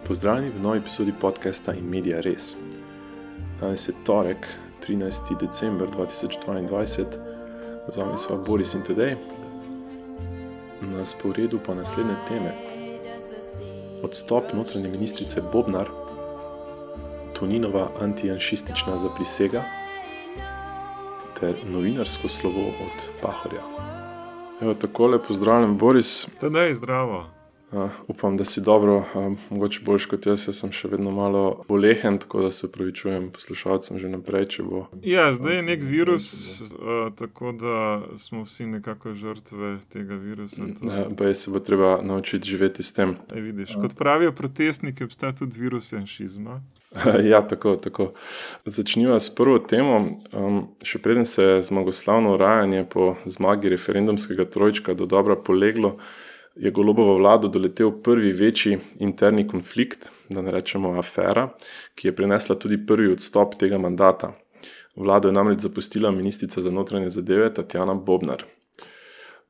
Pozdravljeni v novi epizodi podcasta In Media Res. Danes je torek, 13. december 2022, z vami sva Boris in Tadej. Na sporedu pa naslednje teme: odstop notranje ministrice Bobnar, Toninova antijanšistična zaprisega ter novinarsko slovo od Pahorja. Evo, takole, pozdravljam, Boris. Tadej, zdravo. Upam, da si dobro, mogoče boljš kot jaz sem še vedno malo bolehen, tako da se opravičujem poslušalcem že naprej, če bo... Ja, zdaj je nek virus, tako da smo vsi nekako žrtve tega virusa. Baj se bo treba naučiti živeti s tem. Vidiš, kot pravijo protestniki, obstaja tudi virus janšizma. Ja, tako. Začniva s prvo temo. Še preden se je zmagoslavno urajanje po zmagi referendumskega trojčka dodobra poleglo, je Golobovo vlado doletel prvi večji interni konflikt, da ne rečemo afera, ki je prinesla tudi prvi odstop tega mandata. Vlado je namreč zapustila ministrica za notranje zadeve Tatjana Bobnar.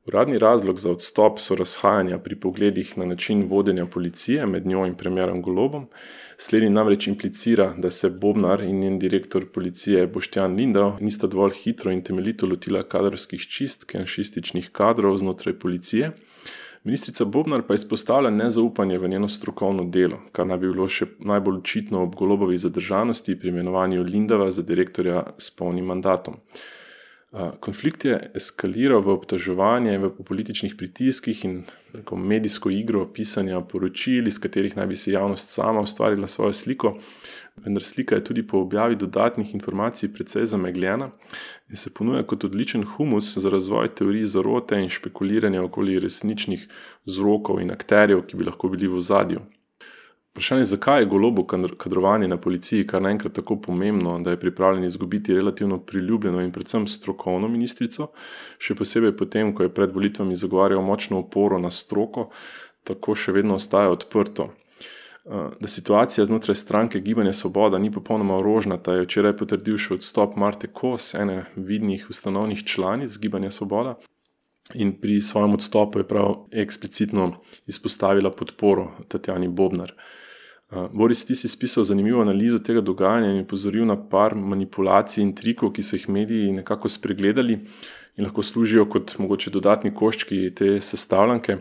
Uradni razlog za odstop so razhajanja pri pogledih na način vodenja policije med njo in premierom Golobom. Slednji namreč implicira, da se Bobnar in njen direktor policije Boštjan Lindav nista dovolj hitro in temeljito lotila kadrovskih čistk janšističnih kadrov znotraj policije. Ministrica Bobnar pa izpostavlja nezaupanje v njeno strokovno delo, kar naj bi bilo še najbolj očitno ob Golobovi zadržanosti pri imenovanju Lindava za direktorja s polnim mandatom. Konflikt je eskaliral v obtoževanje v političnih pritiskih in medijsko igro pisanja poročil, iz katerih naj bi si javnost sama ustvarila svojo sliko, vendar slika je tudi po objavi dodatnih informacij precej zamegljena in se ponuja kot odličen humus za razvoj teorij zarote in špekuliranja okoli resničnih vzrokov in akterjev, ki bi lahko bili v ozadju. Vprašanje, zakaj je Golobu kadrovanje na policiji kar naenkrat tako pomembno, da je pripravljen izgubiti relativno priljubljeno in predvsem strokovno ministrico, še posebej potem, ko je pred volitvami zagovarjal močno oporo na stroko, tako še vedno ostaja odprto. Da situacija znotraj stranke Gibanje Svoboda ni popolnoma rožnata, je včeraj potrdil še odstop Marte Kos, ene vidnih ustanovnih članic Gibanja Svoboda, in pri svojem odstopu je prav eksplicitno izpostavila podporo Tatjani Bobnar. Boris, ti si spisal zanimivo analizo tega dogajanja in upozoril na par manipulacij in trikov, ki so jih mediji nekako spregledali in lahko služijo kot mogoče dodatni koščki te sestavljanke.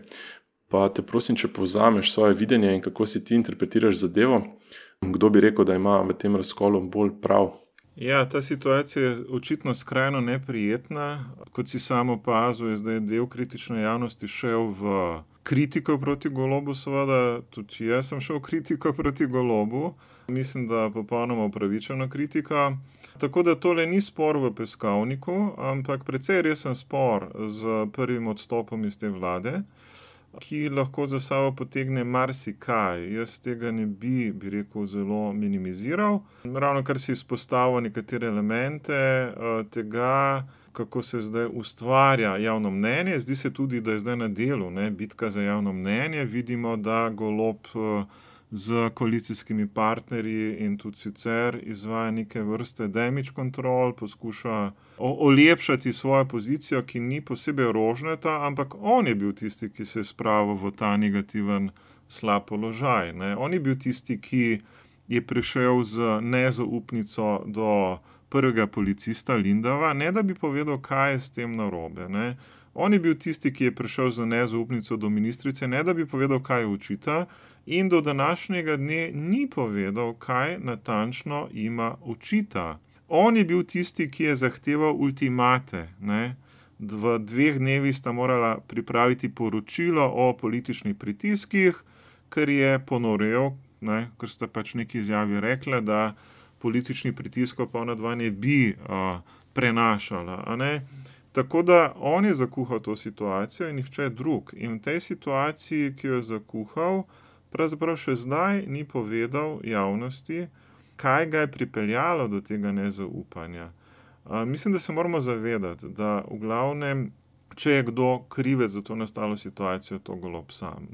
Pa te prosim, če povzameš svoje videnje in kako si ti interpretiraš zadevo, kdo bi rekel, da ima v tem razkolu bolj prav? Ja, ta situacija je očitno skrajno neprijetna. Kot si sam opazil, je zdaj del kritične javnosti šel v kritiko proti Golobu, seveda, tudi jaz sem šel v kritiko proti Golobu. Mislim, da popolnoma upravičena kritika. Tako da tole ni spor v peskovniku, ampak precej resen spor z prvim odstopom iz te vlade, ki lahko za sabo potegne marsikaj. Jaz tega ne bi rekel, zelo minimiziral. Ravno kar si izpostavil nekatere elemente tega, kako se zdaj ustvarja javno mnenje. Zdi se tudi, da je zdaj na delu bitka za javno mnenje. Vidimo, da Golob z koalicijskimi partnerji in tudi sicer izvaja neke vrste damage control, poskuša olepšati svojo pozicijo, ki ni posebej rožnata, ampak on je bil tisti, ki se je spravil v ta negativen slab položaj. On je bil tisti, ki je prišel z nezaupnico do prvega policista Lindava, ne da bi povedal, kaj je s tem narobe. On je bil tisti, ki je prišel z nezaupnico do ministrice, ne da bi povedal, kaj očita, in do današnjega dne ni povedal, kaj natančno ima očita. On je bil tisti, ki je zahteval ultimate. V 2 dnevih sta morala pripraviti poročilo o političnih pritiskih, ker je ponorel, ker sta pač neki izjavi rekla, da politični pritiskov pa ona dva ne bi prenašala. Tako da on je zakuhal to situacijo in nihče drug. In v tej situaciji, ki jo je zakuhal, pravzaprav še zdaj ni povedal javnosti, kaj ga je pripeljalo do tega nezaupanja. Mislim, da se moramo zavedati, da v glavnem, če je kdo krivec za to nastalo situacijo, to Golob sam.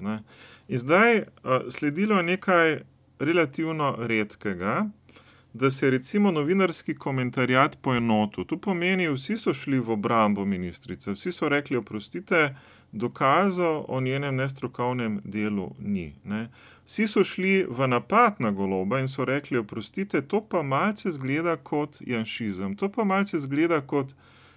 In zdaj sledilo je nekaj relativno redkega, da se je recimo novinarski komentarjat poenotil. To pomeni, vsi so šli v obrambo ministrice, vsi so rekli, oprostite, dokazov o njenem nestrokovnem delu ni. Ne. Vsi so šli v napad na Goloba in so rekli, oprostite, to pa malce zgleda kot janšizem, to pa malce zgleda kot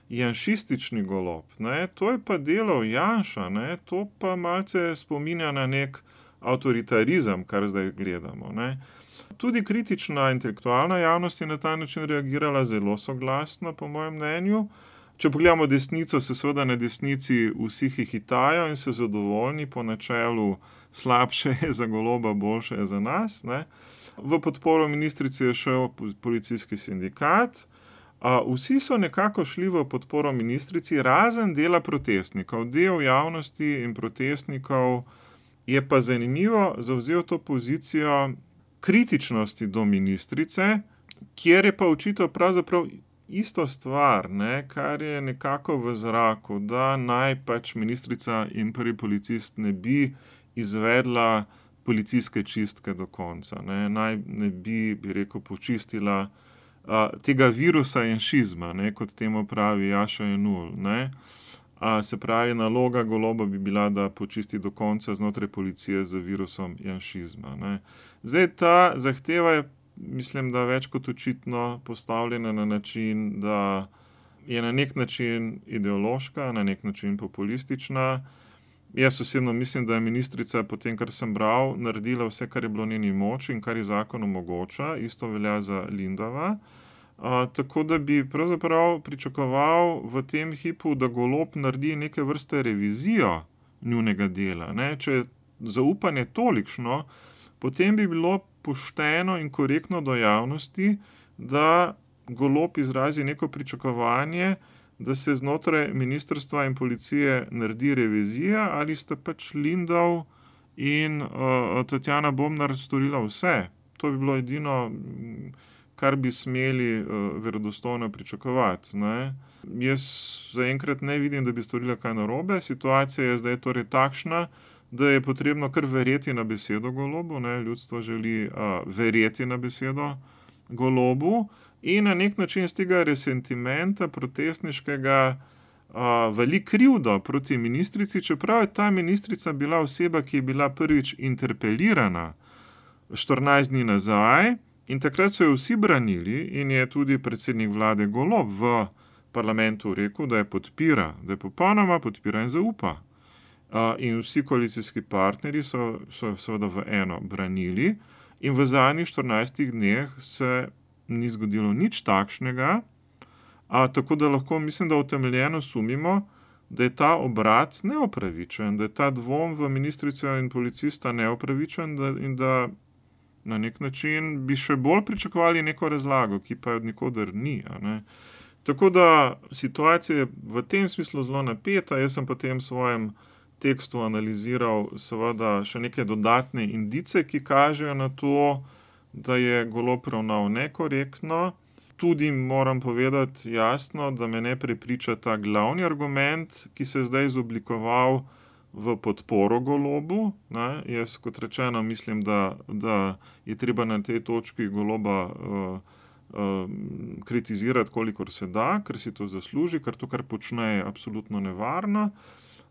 janšistični Golob, ne. To je pa delal Janša, ne. To pa malce spominja na nek avtoritarizem, kar zdaj gledamo. Ne. Tudi kritična intelektualna javnost je na ta način reagirala zelo soglasno, po mojem mnenju. Če pogledamo desnico, se seveda na desnici vsi hihitajo in so zadovoljni po načelu slabše je za Goloba, boljše je za nas. Ne. V podporo ministrici je šel policijski sindikat. Vsi so nekako šli v podporo ministrici, razen dela protestnikov. Del javnosti in protestnikov je pa zanimivo zavzel to pozicijo kritičnosti do ministrice, kjer je pa očital pravzaprav isto stvar, ne, kar je nekako v zraku, da naj pač ministrica in prvi policist ne bi izvedla policijske čistke do konca. Naj ne bi rekel, počistila tega virusa janšizma, ne, kot temu pravi Jaša Jenull. Se pravi, naloga Goloba bi bila, da počisti do konca znotraj policije z virusom janšizma. Ne. Zdaj ta zahteva je, mislim, da več kot očitno postavljena na način, da je na nek način ideološka, na nek način populistična. Jaz osebno mislim, da je ministrica, potem kar sem bral, naredila vse, kar je bilo v njeni moči in kar je zakon omogoča, isto velja za Lindava. Tako da bi pravzaprav pričakoval v tem hipu, da Golob naredi neke vrste revizijo njunega dela. Ne? Če je zaupanje tolikšno, potem bi bilo pošteno in korektno do javnosti, da Golob izrazi neko pričakovanje, da se znotraj ministrstva in policije naredi revizija, ali sta pač Lindav in Tatjana Bobnar storila vse. To bi bilo edino, kar bi smeli verodostojno pričakovati. Ne? Jaz zaenkrat ne vidim, da bi storila kaj narobe. Situacija je zdaj torej takšna, da je potrebno kar verjeti na besedo Golobu. Ne? Ljudstvo želi verjeti na besedo Golobu in na nek način z tega resentimenta protestniškega vali krivdo proti ministrici, čeprav je ta ministrica bila oseba, ki je bila prvič interpelirana 14 dni nazaj. In takrat so jo vsi branili in je tudi predsednik vlade Golob v parlamentu rekel, da je podpira, da je popolnoma podpira in zaupa. In vsi koalicijski partnerji so seveda v eno branili in v zadnjih 14 dneh se ni zgodilo nič takšnega, tako da lahko mislim, da utemeljeno sumimo, da je ta obrat neopravičen, da je ta dvom v ministrico in policista neopravičen in da na nek način bi še bolj pričakovali neko razlago, ki pa od nikoder ni. Tako da situacija je v tem smislu zelo napeta. Jaz sem potem v svojem tekstu analiziral seveda še neke dodatne indice, ki kažejo na to, da je Golob ravnal nekorektno. Tudi moram povedati jasno, da me ne prepriča ta glavni argument, ki se je zdaj izoblikoval v podporo Golobu. Jaz, kot rečeno, mislim, da je treba na tej točki Goloba kritizirati, kolikor se da, ker si to zasluži, ker to, kar počne, je absolutno nevarno.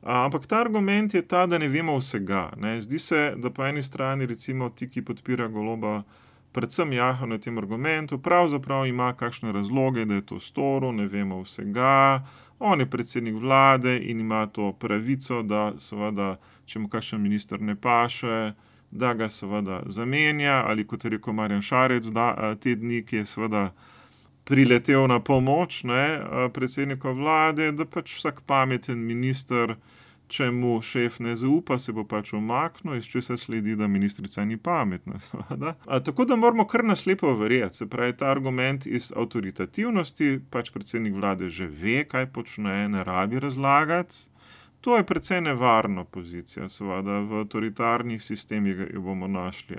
Ampak ta argument je ta, da ne vemo vsega. Zdi se, da po eni strani recimo ti, ki podpira Goloba, predvsem jaha na tem argumentu, pravzaprav ima kakšne razloge, da je to storil, ne vemo vsega. On je predsednik vlade in ima to pravico, da seveda, če mu kakšen minister ne paše, da ga seveda zamenja, ali kot je rekel Marjan Šarec, te dni, ki je seveda priletel na pomoč predsednika vlade, da pač vsak pameten minister, če mu šef ne zaupa, se bo pač umaknil, iz česa sledi, da ministrica ni pametna. Tako da moramo kar naslepo verjeti. Se pravi, ta argument iz avtoritativnosti, pač predsednik vlade že ve, kaj počne, ne rabi razlagati. To je precej nevarna pozicija, seveda, v avtoritarnih sistemih jo bomo našli.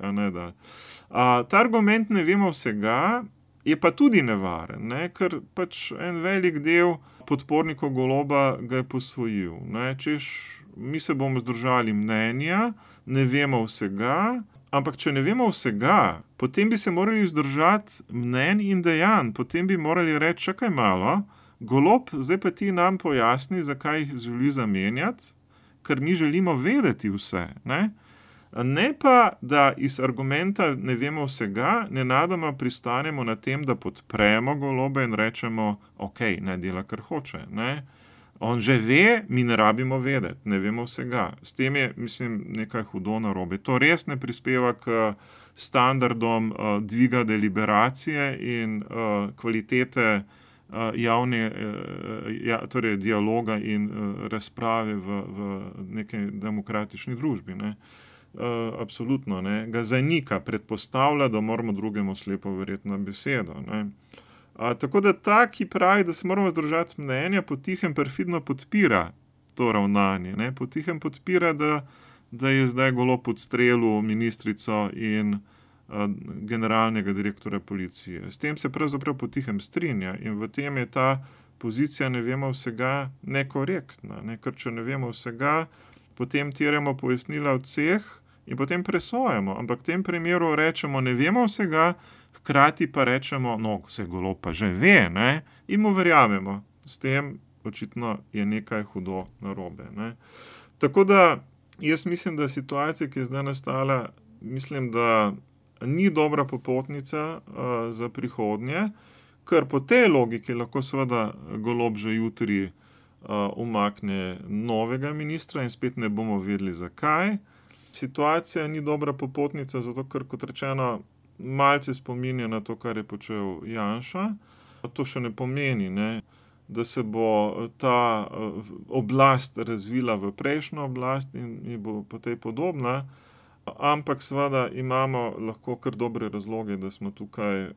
Ta argument ne vemo vsega, je pa tudi nevaren, ker pač en velik del podpornikov Goloba ga je posvojil. Češ, mi se bomo zdržali mnenja, ne vemo vsega, ampak če ne vemo vsega, potem bi se morali zdržati mnenj in dejanj, potem bi morali reči, čakaj malo, Golob, zdaj pa ti nam pojasni, zakaj jih želi zamenjati, ker mi želimo vedeti vse. Ne pa, da iz argumenta ne vemo vsega, nenadoma pristanemo na tem, da podpremo Goloba in rečemo, ok, naj dela, kar hoče. On že ve, mi ne rabimo vedeti, ne vemo vsega. S tem je, mislim, nekaj hudo narobe. To res ne prispeva k standardom dviga deliberacije in kvalitete torej dialoga in razprave v neki demokratični družbi. Absolutno, ga zanika, predpostavlja, da moramo drugemu slepo verjeti na besedo. Tako da ta, ki pravi, da se moramo združati mnenja, potihem perfidno podpira to ravnanje. Potihem podpira, da je zdaj Golob odstrelil ministrico in generalnega direktorja policije. S tem se pravzaprav potihem strinja in v tem je ta pozicija ne vemo vsega nekorektna. Ker če ne vemo vsega, potem terjamo pojasnila od vseh in potem presojamo. Ampak v tem primeru rečemo, ne vemo vsega, hkrati pa rečemo, no, vse Golob pa že ve, in mu verjamemo. S tem očitno je nekaj hudo narobe. Tako da jaz mislim, da situacija, ki je zdaj nastala, mislim, da ni dobra popotnica za prihodnje, ker po tej logiki lahko seveda Golob že jutri umakne novega ministra in spet ne bomo vedeli, zakaj. Situacija ni dobra popotnica, zato ker, kot rečeno, malce spominja na to, kar je počel Janša. To še ne pomeni, da se bo ta oblast razvila v prejšnjo oblast in bo po tej podobna, ampak seveda imamo lahko kar dobre razloge, da smo tukaj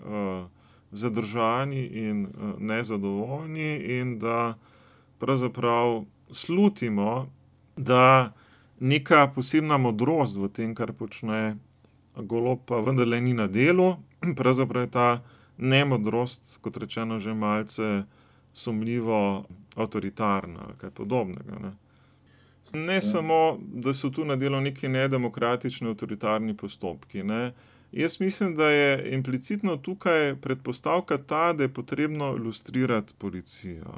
zadržani in nezadovoljni in da pravzaprav slutimo, da neka posebna modrost v tem, kar počne Golob, pa vendarle ni na delu. Pravzaprav je ta nemodrost, kot rečeno, že malce sumljivo avtoritarna ali kaj podobnega. Ne samo, da so tu na delu neki nedemokratični avtoritarni postopki. Jaz mislim, da je implicitno tukaj predpostavka ta, da je potrebno lustrirati policijo.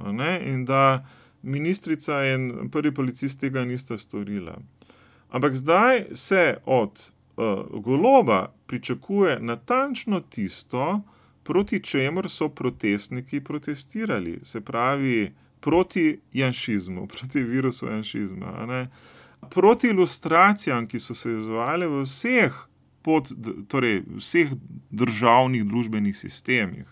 In da ministrica in prvi policist tega nista storila. Ampak zdaj se od Goloba pričakuje natančno tisto, proti čemur so protestniki protestirali. Se pravi, proti janšizmu, proti virusu janšizma. Proti ilustracijam, ki so se izvajale v vseh državnih družbenih sistemih.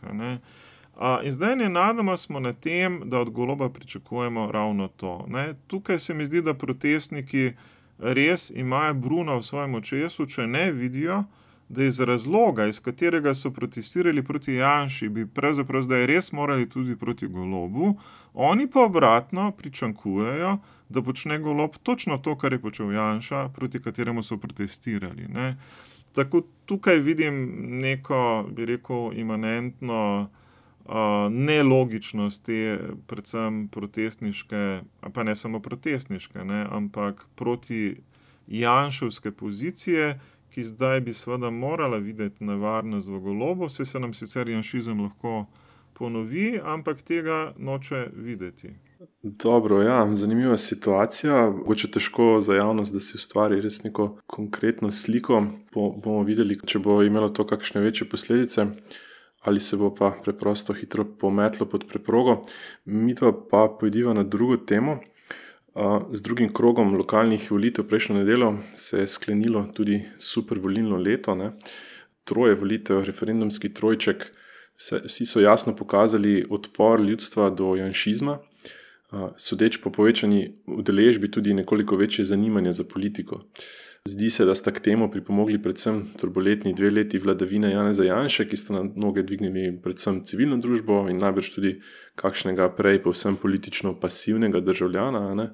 In zdaj nenadoma smo na tem, da od Goloba pričakujemo ravno to. Tukaj se mi zdi, da protestniki res imajo bruna v svojem očesu, če ne vidijo, da iz razloga, iz katerega so protestirali proti Janši, bi pravzaprav zdaj res morali tudi proti Golobu, oni pa obratno pričakujejo, da počne Golob točno to, kar je počel Janša, proti kateremu so protestirali. Tako tukaj vidim neko, bi rekel, imanentno nelogičnost te predvsem protestniške, pa ne samo protestniške, ampak proti janševske pozicije, ki zdaj bi seveda morala videti nevarnost v Golobu, se nam sicer janšizem lahko ponovi, ampak tega noče videti. Dobro, ja, zanimiva situacija. Mogoče težko za javnost, da si ustvari res neko konkretno sliko. Bomo videli, če bo imelo to kakšne večje posledice, ali se bo pa preprosto hitro pometlo pod preprogo. Midva pa pojdiva na drugo temo. Z drugim krogom lokalnih volitev prejšnjo nedeljo se je sklenilo tudi super volilno leto. 3 volitev, referendumski trojček. Vsi so jasno pokazali odpor ljudstva do janšizma, sodeč po povečani udeležbi tudi nekoliko večje zanimanje za politiko. Zdi se, da sta k temu pripomogli predvsem turbulentni 2 leti vladavine Janeza Janše, ki sta na noge dvignili predvsem civilno družbo in najbrž tudi kakšnega prej povsem politično pasivnega državljana.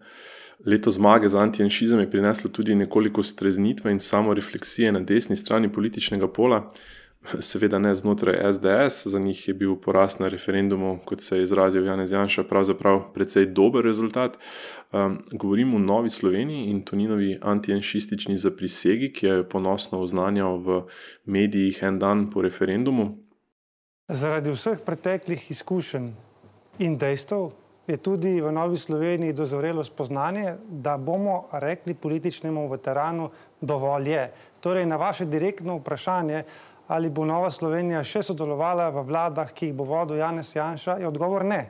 Leto zmage za antijanšizem je prineslo tudi nekoliko streznitve in samorefleksije na desni strani političnega pola, seveda ne znotraj SDS, za njih je bil poraz na referendumu, kot se je izrazil Janez Janša, pravzaprav precej dober rezultat. Govorim o Novi Sloveniji in Toninovi antijanšistični zaprisegi, ki je ponosno oznanjal v medijih en dan po referendumu. Zaradi vseh preteklih izkušenj in dejstev je tudi v Novi Sloveniji dozorelo spoznanje, da bomo rekli političnemu veteranu dovolj je. Torej, na vaše direktno vprašanje, ali bo Nova Slovenija še sodelovala v vladah, ki jih bo vodil Janez Janša, je odgovor ne.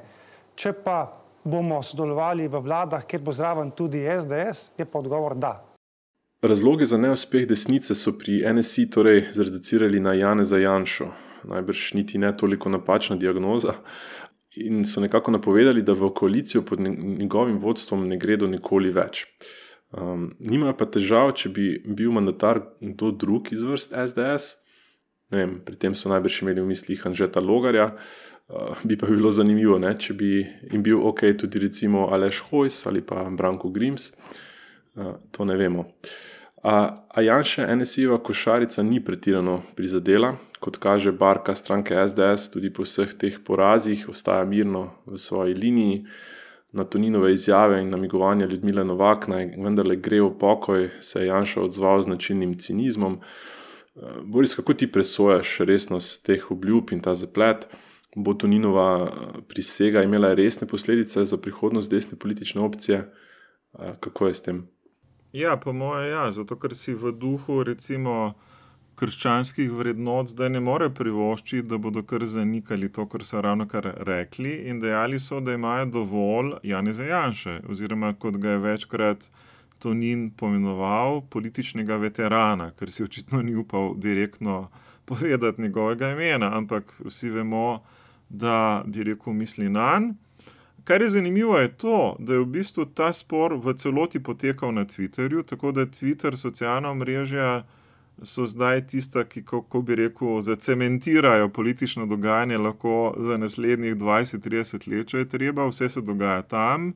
Če pa bomo sodelovali v vladah, kjer bo zraven tudi SDS, je pa odgovor da. Razlogi za neuspeh desnice so pri NSI torej zreducirali na Janeza Janšo. Najbrž niti ne toliko napačna diagnoza. In so nekako napovedali, da v koalicijo pod njegovim vodstvom ne gredo nikoli več. Nimajo pa težav, če bi bil mandatar kdo drug iz vrst SDS. Ne vem, pri tem so najbrž imeli v mislih Anžeta Logarja. Bi pa bilo zanimivo, ne, če bi jim bil ok tudi recimo Aleš Hojs ali pa Branko Grims. To ne vemo. A Janše NSI-jeva košarica ni pretirano prizadela. Kot kaže barka stranke SDS, tudi po vseh teh porazih ostaja mirno v svoji liniji. Na Toninove izjave in namigovanja Ljudmile Novak naj vendarle gre v pokoj, se je Janša odzval z značilnim cinizmom. Boris, kako ti presojaš resnost teh obljub in ta zaplet? Bo Toninova prisega imela resne posledice za prihodnost desne politične opcije? Kako je s tem? Ja, po moje ja, zato ker si v duhu recimo krščanskih vrednot zdaj ne more privoščiti, da bodo kar zanikali to, kar so ravnokar rekli in dejali so, da imajo dovolj Janeza Janše, oziroma kot ga je večkrat Tonin pomenoval, političnega veterana, ker si očitno ni upal direktno povedati njegovega imena, ampak vsi vemo, da bi rekel misli nanj. Kar je zanimivo je to, da je v bistvu ta spor v celoti potekal na Twitterju, tako da Twitter, socialna omrežja so zdaj tista, ki, kako bi rekel, zacementirajo politično dogajanje lahko za naslednjih 20-30 let, če je treba, vse se dogaja tam,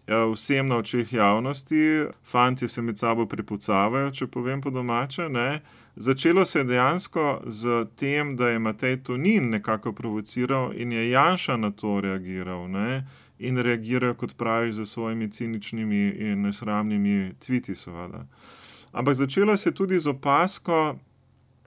vsem na očeh javnosti, fantje se med sabo prepucavajo, če povem po domače, ne. Začelo se je dejansko z tem, da je Matej Tonin nekako provociral in je Janša na to reagiral, ne. In reagirajo, kot pravi, za svojimi ciničnimi in nesramnimi tviti, seveda. Ampak začelo se tudi z opasko,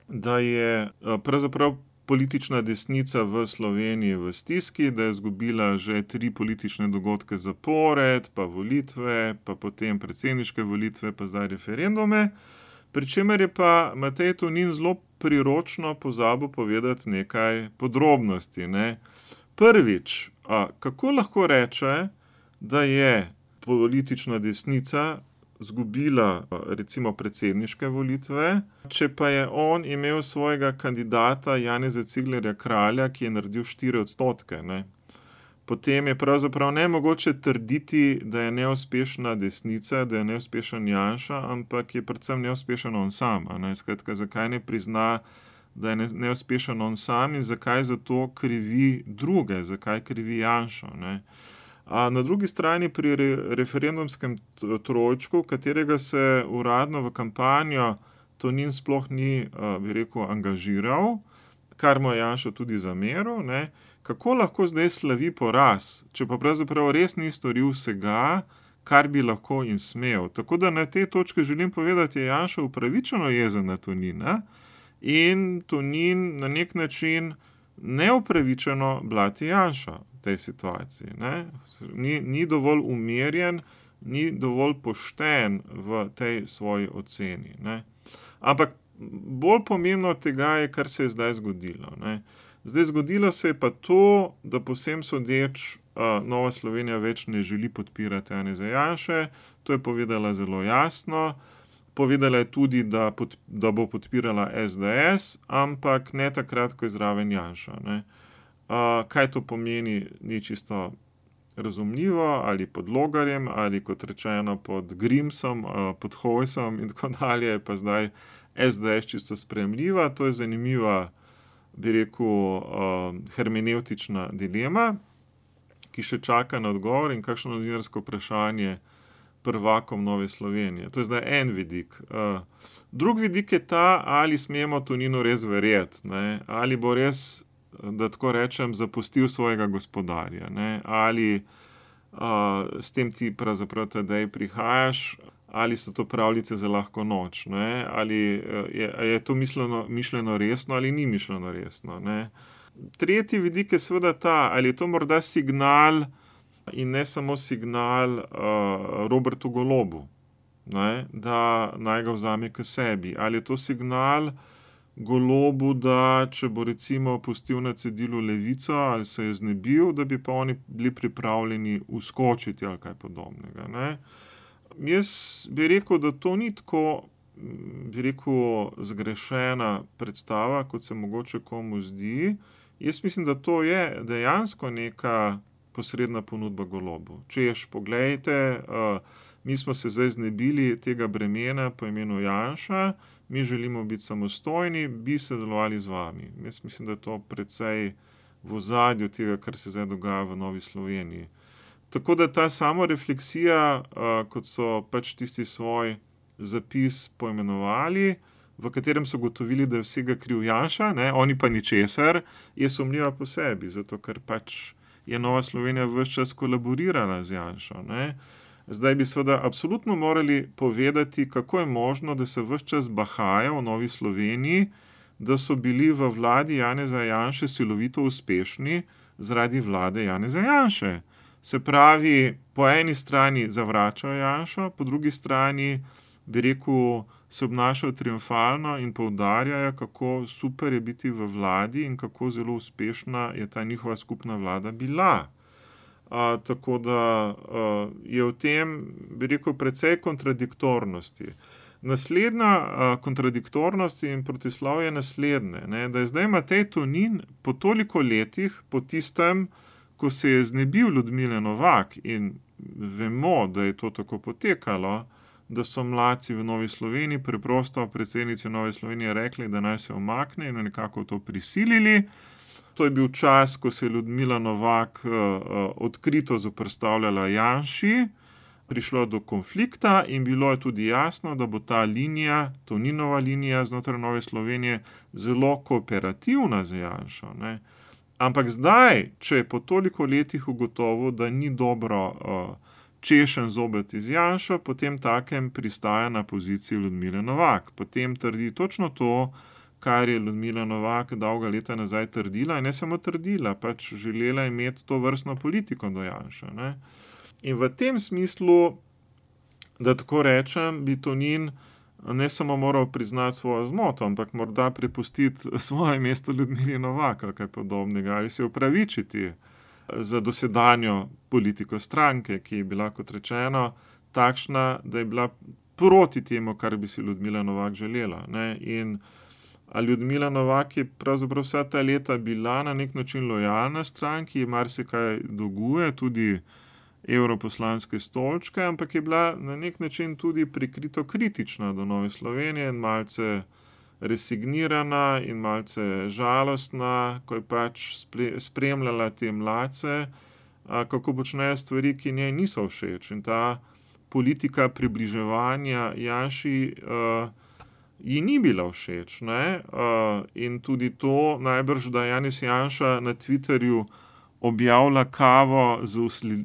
da je pravzaprav politična desnica v Sloveniji v stiski, da je izgubila že 3 politične dogodke zapored, pa volitve, pa potem predsedniške volitve, pa zdaj referendume. Pri čemer je pa Matej Tonin zelo priročno pozabil povedati nekaj podrobnosti, ne. Prvič, kako lahko reče, da je politična desnica izgubila recimo predsedniške volitve, če pa je on imel svojega kandidata Janeza Ciglerja Kralja, ki je naredil 4%, ne. Potem je pravzaprav nemogoče trditi, da je neuspešna desnica, da je neuspešen Janša, ampak je predvsem neuspešen on sam, a ne. Skratka, zakaj ne prizna, da je neuspešen on sam in zakaj zato krivi druge, zakaj krivi Janšo, ne. Na drugi strani pri referendumskem trojčku, katerega se uradno v kampanjo Tonin sploh ni, bi rekel, angažiral, kar mu je Janša tudi zameril, ne, kako lahko zdaj slavi poraz, če pa pravzaprav res ni storil vsega, kar bi lahko in smel. Tako da na tej točki želim povedati, je Janša upravičeno jezen na Tonina in Tonin na nek način neupravičeno blati Janša v tej situaciji, ne. Ni dovolj umirjen, ni dovolj pošten v tej svoji oceni, ne. Ampak bolj pomembno od tega je, kar se je zdaj zgodilo, ne. Zdaj zgodilo se je pa to, da povsem sodeč Nova Slovenija več ne želi podpirati Janeza Janše, to je povedala zelo jasno. Povedala je tudi, da bo podpirala SDS, ampak ne takrat, ko je zraven Janša, ne. Kaj to pomeni, ni čisto razumljivo, ali pod Logarjem, ali kot rečeno pod Grimsom, pod Hojsom in tako dalje, pa zdaj SDS čisto sprejemljiva. To je zanimiva, bi rekel, hermenevtična dilema, ki še čaka na odgovor in kakšno novinarsko vprašanje prvakom Nove Slovenije. To je zdaj en vidik. Drug vidik je ta, ali smemo Toninu res verjeti, ne, ali bo res, da tako rečem, zapustil svojega gospodarja, ne, ali s tem ti pravzaprav tedaj prihajaš, ali so to pravljice za lahko noč, ne, ali je to mišljeno resno ali ni mišljeno resno, ne. Tretji vidik je seveda ta, ali je to morda signal in ne samo signal Robertu Golobu, ne, da naj ga vzame k sebi. Ali je to signal Golobu, da če bo recimo pustil na cedilu Levico ali se je znebil, da bi pa oni bili pripravljeni uskočiti ali kaj podobnega. Ne. Jaz bi rekel, da to ni tako, bi rekel, zgrešena predstava, kot se mogoče komu zdi. Jaz mislim, da to je dejansko neka posredna ponudba Golobu. Češ, poglejte, mi smo se zdaj znebili tega bremena po imenu Janša, mi želimo biti samostojni, bi sodelovali z vami. Jaz mislim, da je to precej v ozadju tega, kar se zdaj dogaja v Novi Sloveniji. Tako da ta samorefleksija, kot so pač tisti svoj zapis poimenovali, v katerem so gotovili, da je vsega kriv Janša, ne, oni pa ničesar, je sumljiva po sebi, zato ker pač je Nova Slovenija ves čas kolaborirala z Janšo. Ne. Zdaj bi seveda absolutno morali povedati, kako je možno, da se ves čas bahaja v Novi Sloveniji, da so bili v vladi Janeza Janše silovito uspešni zaradi vlade Janeza Janše. Se pravi, po eni strani zavračajo Janšo, po drugi strani, bi rekel, se obnašajo triumfalno in poudarjajo, kako super je biti v vladi in kako zelo uspešna je ta njihova skupna vlada bila. Tako da je v tem, bi rekel, precej kontradiktornosti. Naslednja kontradiktornost in protislovje je naslednje, ne, da je zdaj Matej Tonin po toliko letih, po tistem, ko se je znebil Ljudmile Novak, in vemo, da je to tako potekalo, da so mladci v Novi Sloveniji preprosto predsednici Nove Slovenije rekli, da naj se umakne in nekako to prisilili. To je bil čas, ko se je Ljudmila Novak odkrito zoperstavljala Janši, prišlo do konflikta in bilo je tudi jasno, da bo ta linija, Toninova linija znotraj Nove Slovenije, zelo kooperativna z Janšo. Ne. Ampak zdaj, če je po toliko letih ugotovil, da ni dobro češen zobati z Janšo, potem takem pristaja na poziciji Ljudmile Novak. Potem trdi točno to, kar je Ljudmila Novak dolga leta nazaj trdila, in ne samo trdila, pač želela imeti to vrstno politiko do Janša. Ne. In v tem smislu, da tako rečem, bi Tonin ne samo moral priznati svojo zmoto, ampak morda prepustiti svoje mesto Ljudmili Novak ali kaj podobnega, ali se opravičiti za dosedanjo politiko stranke, ki je bila, kot rečeno, takšna, da je bila proti temu, kar bi si Ljudmila Novak želela. Ne. In Ljudmila Novak je pravzaprav vsa ta leta bila na nek način lojalna stranki, marsikaj dolguje, tudi evroposlanske stolčke, ampak je bila na nek način tudi prikrito kritična do Nove Slovenije in malce resignirana in malce žalostna, ko je pač spremljala te mladce, kako počnejo stvari, ki njej niso všeč. In ta politika približevanja Janši ji ni bila všeč. Ne? In tudi to najbrž, da Janez Janša na Twitterju objavlja kavo z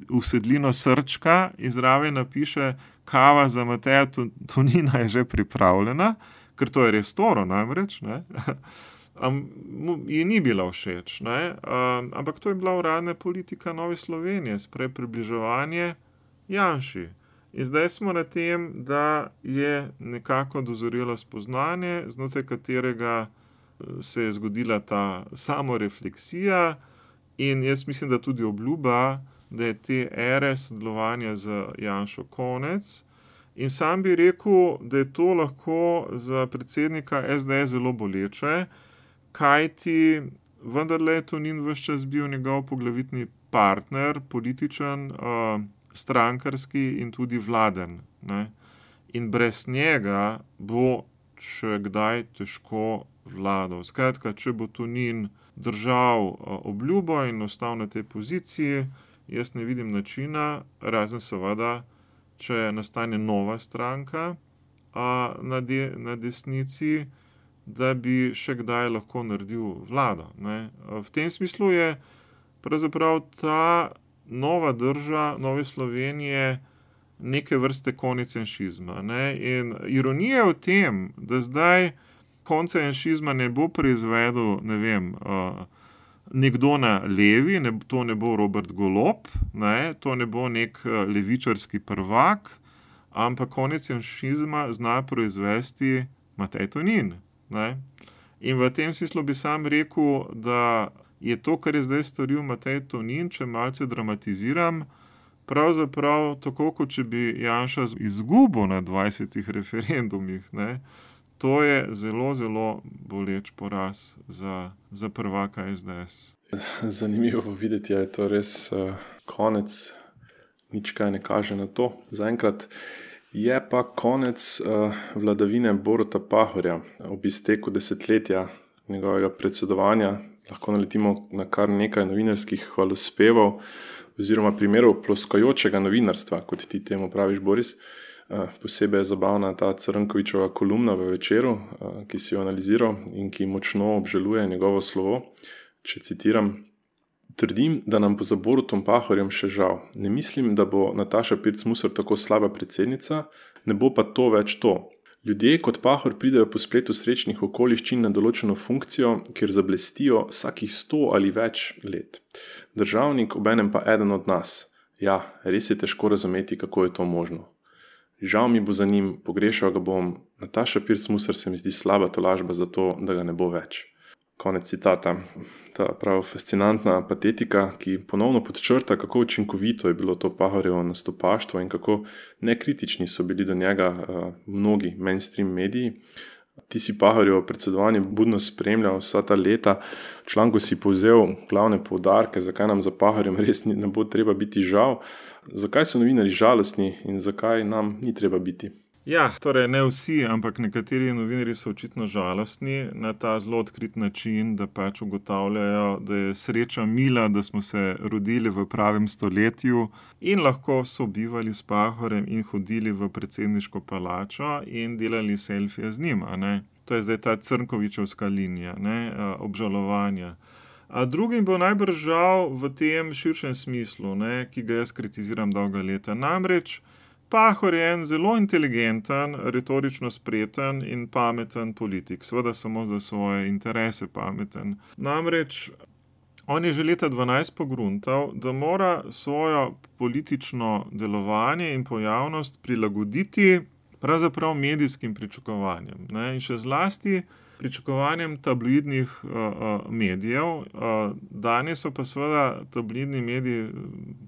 usedlino srčka in zraven napiše: kava za Mateja Tonina je že pripravljena, ker to je res toro namreč, ne. Ji ni bila všeč, ne. Ampak to je bila uradna politika Nove Slovenije, sprej približevanje Janši. In zdaj smo na tem, da je nekako dozorelo spoznanje, znotraj katerega se je zgodila ta samorefleksija. In jaz mislim, da tudi obljuba, da je te ere sodelovanja z Janšo konec. In sam bi rekel, da je to lahko za predsednika SDS zelo boleče, kajti vendarle je Tonin ves čas bil njegov poglavitni partner, političen, strankarski in tudi vladen. Ne. In brez njega bo še kdaj težko vladal. Skratka, če bo Tonin držal obljubo in ostal na tej poziciji, jaz ne vidim načina, razen seveda, če nastane nova stranka na desnici, da bi še kdaj lahko naredil vlado. Ne. V tem smislu je pravzaprav ta nova drža Nove Slovenije neke vrste konec janšizma. Ne. In ironija je v tem, da zdaj konca janšizma ne bo proizvedel, ne vem, nekdo na levi, to ne bo Robert Golob, to ne bo nek levičarski prvak, ampak konec janšizma zna proizvesti Matej Tonin. In v tem smislu bi sam rekel, da je to, kar je zdaj storil Matej Tonin, če malce dramatiziram, pravzaprav tako, kot če bi Janša izgubil na 20 referendumih. To je zelo, zelo boleč poraz za prvaka SDS. Zanimivo videti, je to res konec, nič kaj ne kaže na to. Zaenkrat je pa konec vladavine Boruta Pahorja. Ob izteku desetletja njegovega predsedovanja lahko naletimo na kar nekaj novinarskih hvalospevov oziroma primerov ploskajočega novinarstva, kot ti temu praviš, Boris. Posebej je zabavna ta Crnkovičeva kolumna v Večeru, ki si jo analiziral in ki močno obžaluje njegovo slovo. Če citiram: "Trdim, da nam bo za Borutom Pahorjem še žal. Ne mislim, da bo Nataša Pirc Musar tako slaba predsednica, ne bo pa to več to. Ljudje kot Pahor pridejo po spletu srečnih okoliščin na določeno funkcijo, kjer zablestijo vsakih 100 ali več let. Državnik, obenem pa eden od nas. Ja, res je težko razumeti, kako je to možno. Žal mi bo za njim, pogrešal ga bom. Nataša Pirc Musar se mi zdi slaba tolažba za to, da ga ne bo več." Konec citata. Ta prav fascinantna patetika, ki ponovno podčrta, kako učinkovito je bilo to Pahorjevo nastopaštvo in kako nekritični so bili do njega mnogi mainstream mediji. Ti si Pahorjevo predsedovanje budno spremljal vsa ta leta. V članku si povzel glavne poudarke, zakaj nam za Pahorjem res ne bo treba biti žal. Zakaj so novinarji žalostni in zakaj nam ni treba biti? Ja, torej ne vsi, ampak nekateri novinarji so očitno žalostni na ta zelo odkrit način, da pač ugotavljajo, da je sreča mila, da smo se rodili v pravem stoletju in lahko sobivali s Pahorjem in hodili v predsedniško palačo in delali selfije z njim. To je zdaj ta Crnkovičevska linija, obžalovanja. A drugim bo najbrž žal v tem širšem smislu, ki ga jaz kritiziram dolga leta. Namreč Pahor je en zelo inteligenten, retorično spreten in pameten politik. Seveda samo za svoje interese pameten. Namreč on je že leta 2012 pogruntal, da mora svojo politično delovanje in pojavnost prilagoditi pravzaprav medijskim pričakovanjem. In še zlasti pričakovanjem tabloidnih medijev. Danes so pa seveda tabloidni mediji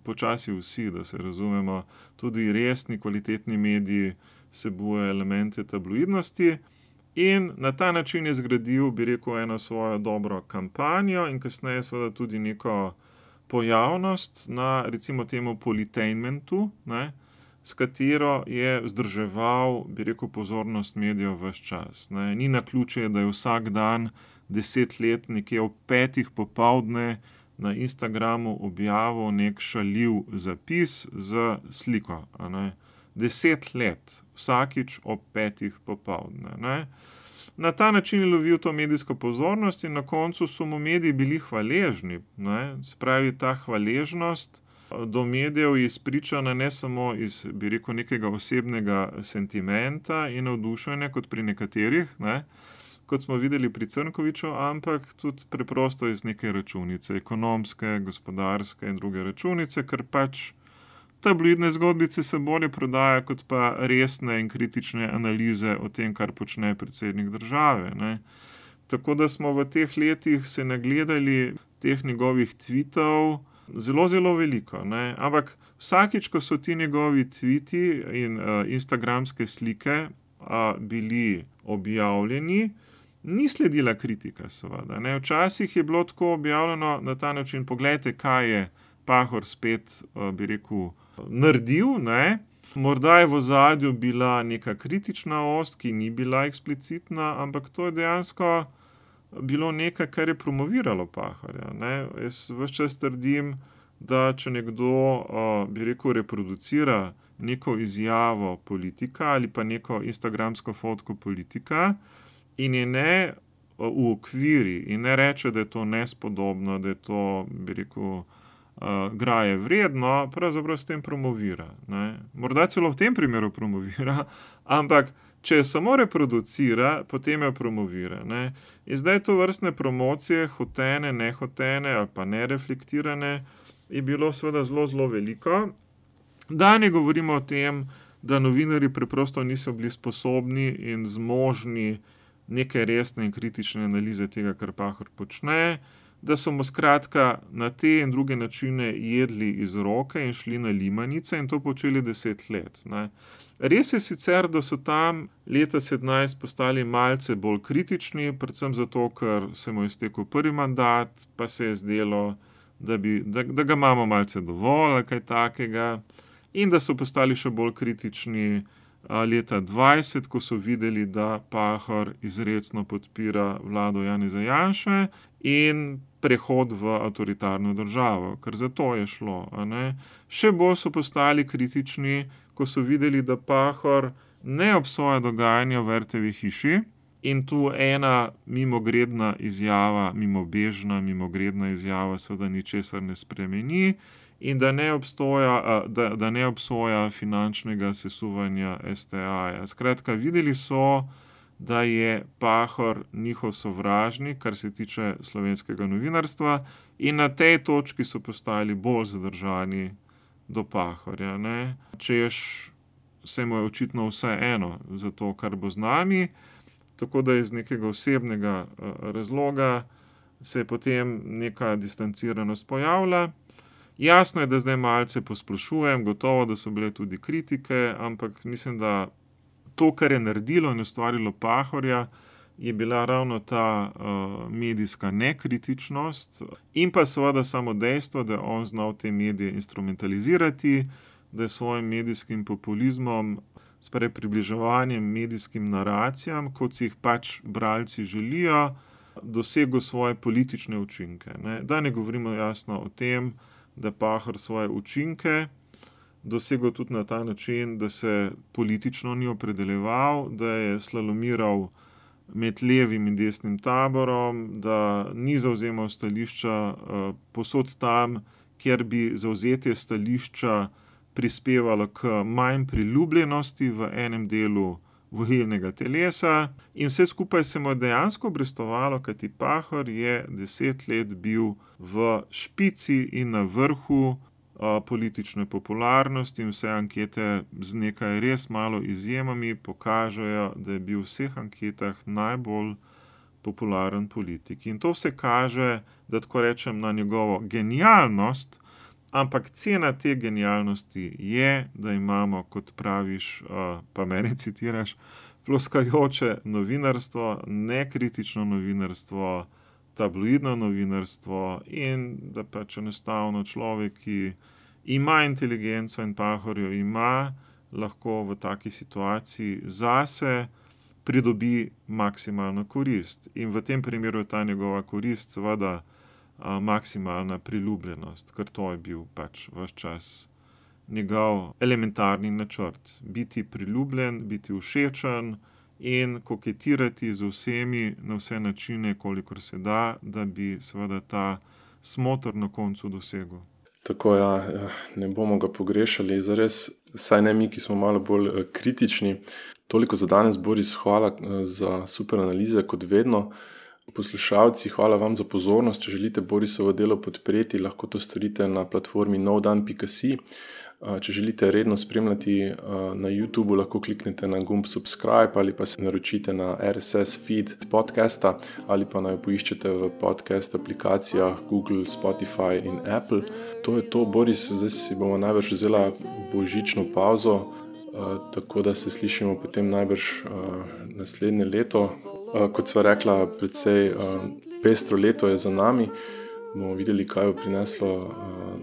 počasi vsi, da se razumemo, tudi resni, kvalitetni mediji vsebujejo elemente tabloidnosti in na ta način je zgradil, bi rekel, eno svojo dobro kampanjo in kasneje seveda tudi neko pojavnost na, recimo temu, politainmentu, s katero je vzdrževal, bi rekel, pozornost medijev ves čas. Ni naključje, da je vsak dan 10 let nekje ob 5 popoldne na Instagramu objavil nek šaljiv zapis z sliko. 10 let, vsakič ob 5 popoldne. Na ta način je lovil to medijsko pozornost in na koncu so mu mediji bili hvaležni. Spravi ta hvaležnost do medijev je izpričana ne samo iz, bi rekel, nekega osebnega sentimenta in navdušenja, kot pri nekaterih, kot smo videli pri Crnkoviču, ampak tudi preprosto iz neke računice, ekonomske, gospodarske in druge računice, ker pač tabloidne zgodbice se bolje prodajajo kot pa resne in kritične analize o tem, kar počne predsednik države. Tako da smo v teh letih se nagledali teh njegovih tweetov zelo, zelo veliko. Ampak vsakič, ko so ti njegovi tweeti in instagramske slike bili objavljeni, ni sledila kritika, seveda. Včasih je bilo tako objavljeno na ta način: poglejte, kaj je Pahor spet, bi rekel, naredil. Morda je v ozadju bila neka kritična ost, ki ni bila eksplicitna, ampak to je dejansko bilo nekaj, kar je promoviralo Pahorja. Jaz ves čas trdim, da če nekdo, bi rekel, reproducira neko izjavo politika ali pa neko instagramsko fotko politika in je ne uokviri in ne reče, da je to nespodobno, da je to, bi rekel, graje vredno, pravzaprav s tem promovira. Morda celo v tem primeru promovira, ampak Če jo samo reproducira, potem jo promovira. Ne? In zdaj to vrstne promocije, hotene, nehotene ali pa nereflektirane, je bilo seveda zelo, zelo veliko. Da ne govorimo o tem, da novinarji preprosto niso bili sposobni in zmožni neke resne in kritične analize tega, kar Pahor počne, da so mu skratka na te in druge načine jedli iz roke in šli na limanice in to počeli 10 let. Ne. Res je sicer, da so tam leta 17 postali malce bolj kritični, predvsem zato, ker se mu je iztekel prvi mandat, pa se je zdelo, da ga imamo malce dovolj ali kaj takega, in da so postali še bolj kritični leta 20, ko so videli, da Pahor izrecno podpira vlado Janeza Janše in prehod v avtoritarno državo, ker za to je šlo. Ne? Še bolj so postali kritični, ko so videli, da Pahor ne obsoja dogajanja v RTV hiši in tu ena mimogredna izjava, mimogredna izjava seveda ničesar ne spremeni in da ne obsoja finančnega sesuvanja STA-ja. Skratka, videli so, da je Pahor njihov sovražnik, kar se tiče slovenskega novinarstva, in na tej točki so postali bolj zadržani do Pahorja. Ne? Češ se mu je očitno vse eno za to, kar bo z nami, tako da iz nekega osebnega razloga se je potem neka distanciranost pojavila. Jasno je, da zdaj malce posplošujem, gotovo, da so bile tudi kritike, ampak mislim, da to, kar je naredilo in ustvarilo Pahorja, je bila ravno ta medijska nekritičnost in pa seveda samo dejstvo, da je on znal te medije instrumentalizirati, da je svojim medijskim populizmom, sprej približevanjem medijskim naracijam, kot si jih pač bralci želijo, dosegel svoje politične učinke. Ne? Da ne govorimo jasno o tem, da Pahor svoje učinke dosegel tudi na ta način, da se politično ni opredeljeval, da je slalomiral med levim in desnim taborom, da ni zavzemal stališča posod tam, kjer bi zavzetje stališča prispevalo k manj priljubljenosti v enem delu volilnega telesa. In vse skupaj se mu je dejansko obrestovalo, kajti Pahor je 10 let bil v špici in na vrhu politične popularnosti in vse ankete z nekaj res malo izjemami pokažejo, da je bil v vseh anketah najbolj popularen politik. In to vse kaže, da tako rečem, na njegovo genialnost, ampak cena te genialnosti je, da imamo, kot praviš, pa mene citiraš, ploskajoče novinarstvo, nekritično novinarstvo, tabloidno novinarstvo in da pač enostavno človek, ki ima inteligenco in Pahorjo ima, lahko v taki situaciji zase pridobi maksimalno korist. In v tem primeru je ta njegova korist seveda maksimalna priljubljenost, ker to je bil pač ves čas njegov elementarni načrt. Biti priljubljen, biti všečen in koketirati z vsemi na vse načine, kolikor se da, da bi seveda ta smoter na koncu dosegel. Tako ne bomo ga pogrešali, zares, saj ne mi, ki smo malo bolj kritični. Toliko za danes, Boris, hvala za super analize, kot vedno. Poslušalci, hvala vam za pozornost. Če želite Borisovo delo podpreti, lahko to storite na platformi novdan.si. Če želite redno spremljati na YouTubeu, lahko kliknete na gumb subscribe ali pa se naročite na RSS feed podcasta ali pa naj poiščete v podcast aplikacijah Google, Spotify in Apple. To je to, Boris, zdaj si bomo najbrž vzela božično pauzo, tako da se slišimo potem najbrž naslednje leto. Kot sva rekla, precej pestro leto je za nami. Bomo videli, kaj bo prineslo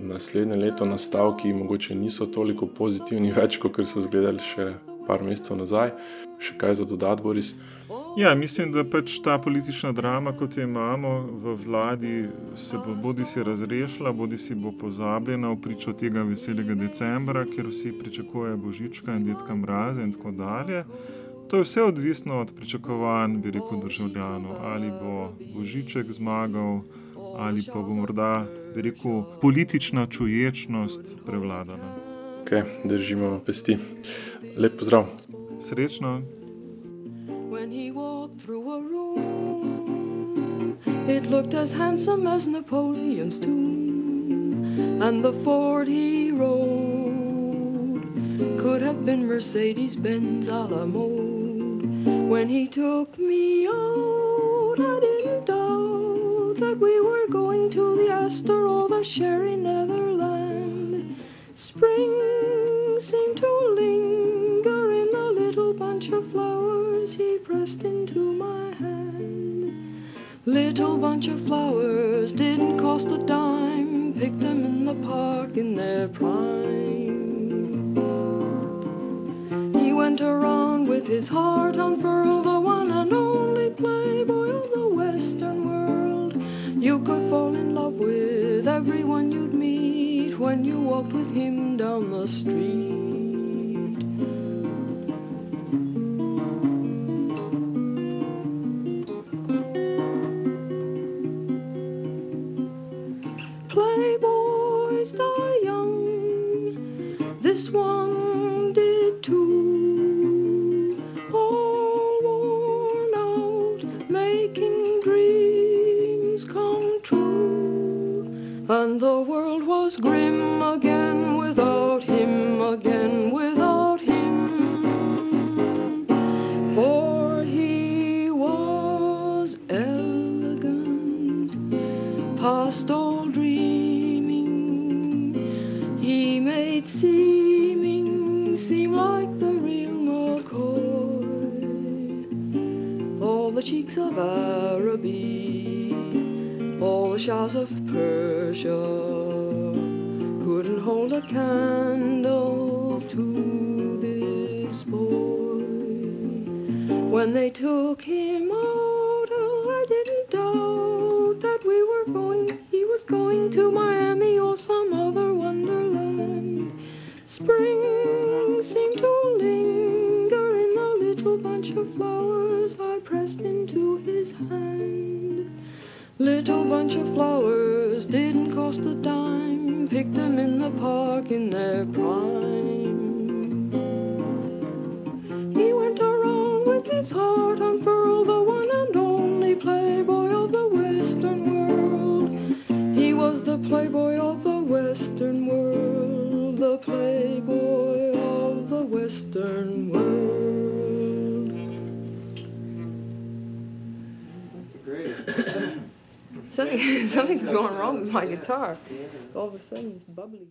naslednje leto. Nastavki mogoče niso toliko pozitivni več, kot so izgledali še par mesecev nazaj. Še kaj za dodati, Boris? Ja, mislim, da pač ta politična drama, kot jo imamo v vladi, se bodi si razrešila, bodi si bo pozabljena v pričo tega veselega decembra, kjer vsi pričakujejo Božička in Dedka Mraza in tako dalje. To je vse odvisno od pričakovanj, bi rekel, državljanov. Ali bo Božiček zmagal, ali pa bo morda, bi rekel, politična čuječnost prevladana. Ok, držimo pesti. Lep pozdrav. Srečno. When he walked through a room, it looked as handsome as Napoleon's tomb, and the Ford he rode could have been Mercedes-Benz a la mode. When he took me out, I didn't doubt that we were going to the Astor or the Sherry Netherland. Spring seemed to linger in the little bunch of flowers he pressed into my hand. Little bunch of flowers didn't cost a dime, picked them in the park in their prime. He went around with his heart unfurled, the one and only playboy of the Western world. You could fall in love with everyone you'd meet when you walked with him down the street. Playboys die young, this one did too, all worn out, making dreams come true. And the world was grim again without him, again without him, for he was elegant, past all dreaming. He made seeming seem like the real McCoy. All the cheeks of Araby, all the Shahs of Persia couldn't hold a candle to this boy. When they took him out, I didn't doubt that he was going to Miami or some other wonderland. Spring seemed to linger in the little bunch of flowers I pressed into his hand. Little bunch of flowers didn't cost a dime, picked them in the park in their prime. He went around with his heart unfurled, the one and only playboy of the Western world. He was the playboy of the Western world, the playboy of the Western world. That's the greatest. Something's going wrong with my guitar. All of a sudden it's bubbly.